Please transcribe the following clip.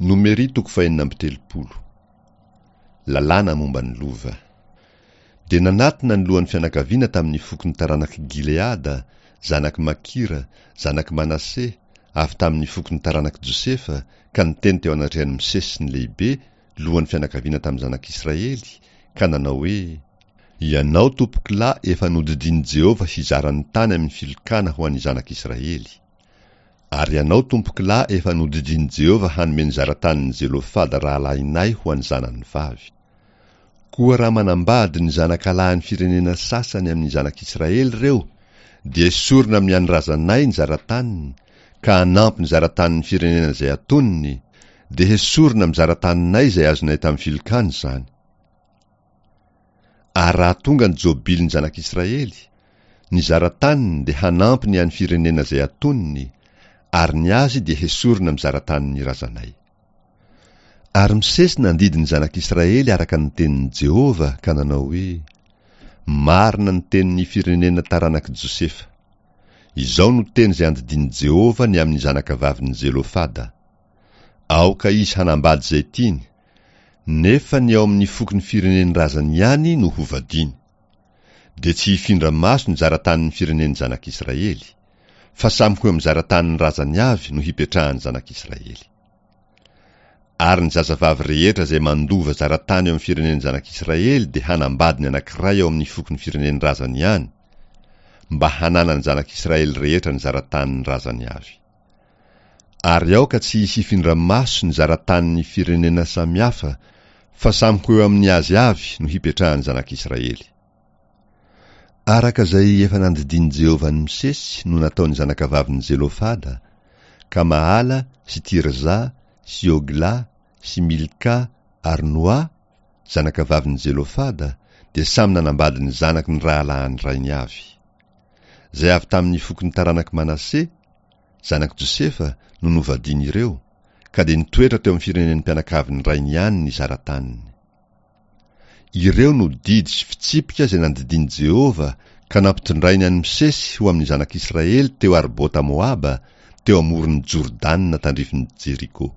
Nomery toko fahenina amby telopolo. Lalàna momba ny lova. Dia nanatona ny lohan'ny fianakaviana tamin'ny fokon'ny taranak'i Gileada, zanak'i Makira, zanak'i Manase, avy tamin'ny fokon'ny taranak'i Josefa, ka niteny teo anatrehan'i Mosesy sy ny lehibe, lohan'ny fianakaviana tamin'ny zanak'Israely, ka nanao hoe, Ianao, tompokolahy, efa nodidian'i Jehovah hizara ny tany amin'ny filokana ho an'ny zanak'Israely. Ary ianao, tompokolahy, efa nodidian'i Jehovah hanome ny zara-tanin'i Zelofada rahalahinay ho an'ny zanany vavy. Koa raha manambady ny zanakalahin'ny firenena sasany amin'ny zanak'Israely ireo, dia esorina amin'ny an'ny razanay ny zara-taniny, ka hanampy ny zara-tanin'ny firenena izay atoniny, dia hesorina amin'ny zara-taninay izay azonay tamin'ny filokana izany. Ary raha tonga ny Jobilin'ny zanak'Israely, ny zara-taniny dia hanampy ny an'ny firenena izay atoniny, ary ny azy dia hesorina amin'ny zara-tanin'ny razanay. Ary Mosesy nandidy ny zanak'Israely araka ny tenin'i Jehovah ka nanao hoe, Marina ny tenin'ny firenena taranak'i Josefa. Izao no teny izay andidian'i Jehovah ny amin'ny zanakavavin'i Zelofada, Aoka izy hanambady izay tiany, nefa ny ao amin'ny fokon'ny firenen'ny razany ihany no hovadiany. Dia tsy hifindra maso ny zara-tanin'ny firenen'ny zanak'Israely, fa samy ho eo amin'ny zara-tanin'ny razany avy no hipetrahan'ny zanak'Israely. Ary ny zazavavy rehetra izay mandova zara-tany eo amin'ny firenen'ny zanak'Israely dia hanambady ny anankiray ao amin'ny fokon'ny firenen'ny razany ihany, mba hananan'ny zanak'Israely rehetra ny zara-tanin'ny razany avy. Ary aoka tsy hisy hifindra maso ny zara-tanin'ny firenena samihafa, fa samy ho eo amin'ny azy avy no hipetrahan'ny zanak'Israely. Araka izay efa nandidian'i Jehovah an'i Mosesy no nataon'ny zanakavavin'i Zelofada, ka Mahala sy Tirza sy Hogla sy Milka ary Noa, zanakavavin'i Zelofada, dia samy nanambady ny zanaky ny rahalahin'ny rainy avy. Izay avy tamin'ny fokon'ny taranak'i Manase, zanak'i Josefa, no novadian'ireo, ka dia nitoetra teo amin'ny firenen'ny mpianakavin'ny rainy ihany ny zara-taniny. Ireo no didy sy fitsipika izay nandidian'i Jehovah ka nampitondrainy an'i Mosesy ho amin'ny zanak'Israely teo Arbota Moaba, teo amoron'i Jordana tandrifin'i Jeriko.